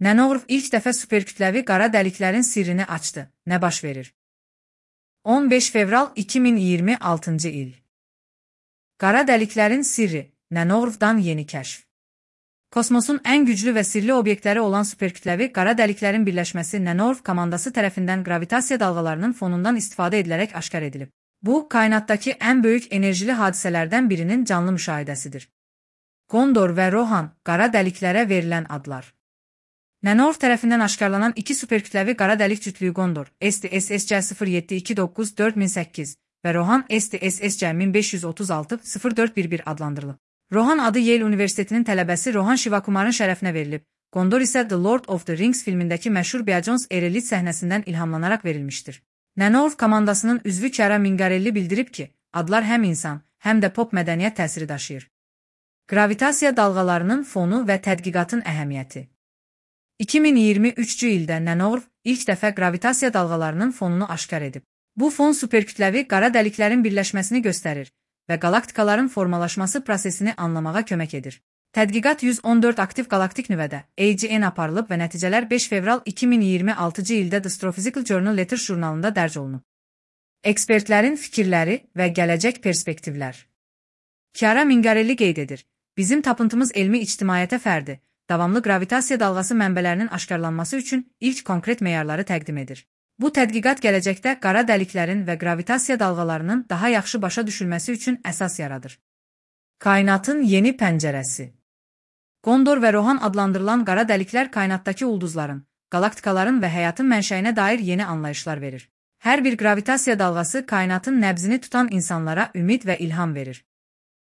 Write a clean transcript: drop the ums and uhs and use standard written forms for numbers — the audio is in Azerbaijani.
Nənorov ilk dəfə superkütləvi qara dəliklərin sirrini açdı. Nə baş verir? 15 fevral 2026 il. Qara dəliklərin sirri, Nənorovdan yeni kəşf. Kosmosun ən güclü və sirli obyektləri olan superkütləvi qara dəliklərin birləşməsi Nənorov komandası tərəfindən qravitasiya dalğalarının fonundan istifadə edilərək aşkar edilib. Bu, kainatdakı ən böyük enerjili hadisələrdən birinin canlı müşahidəsidir. Gondor və Rohan, qara dəliklərə verilən adlar. Nənorov tərəfindən aşkarlanan iki superkütləvi qara dəlik cütlüyü Gondor, STSSC-0729-4008 və Rohan STSSC-1536-0411 adlandırılıb. Rohan adı Yale Universitetinin tələbəsi Rohan Shivakumarın şərəfinə verilib. Gondor isə The Lord of the Rings filmindəki məşhur Beajones Erelit səhnəsindən ilhamlanaraq verilmişdir. Nənorov komandasının üzvü Chiara Mingarelli bildirib ki, adlar həm insan, həm də pop mədəniyyət təsiri daşıyır. Qravitasiya dalğalarının fonu və tədqiqatın əhəmiyyəti. 2023-cü ildə Nənorov ilk dəfə qravitasiya dalğalarının fonunu aşkar edib. Bu fon superkütləvi qara dəliklərin birləşməsini göstərir və qalaktikaların formalaşması prosesini anlamağa kömək edir. Tədqiqat 114 aktiv qalaktik nüvədə AGN aparılıb və nəticələr 5 fevral 2026-cı ildə The Astrophysical Journal Letters jurnalında dərc olunub. Ekspertlərin fikirləri və gələcək perspektivlər. Chiara Mingarelli qeyd edir, bizim tapıntımız elmi ictimaiyyətə fərdi, davamlı qravitasiya dalğası mənbələrinin aşkarlanması üçün ilk konkret meyarları təqdim edir. Bu tədqiqat gələcəkdə qara dəliklərin və qravitasiya dalğalarının daha yaxşı başa düşülməsi üçün əsas yaradır. Kainatın yeni pəncərəsi. Gondor və Rohan adlandırılan qara dəliklər kainatdakı ulduzların, qalaktikaların və həyatın mənşəyinə dair yeni anlayışlar verir. Hər bir qravitasiya dalğası kainatın nəbzini tutan insanlara ümid və ilham verir.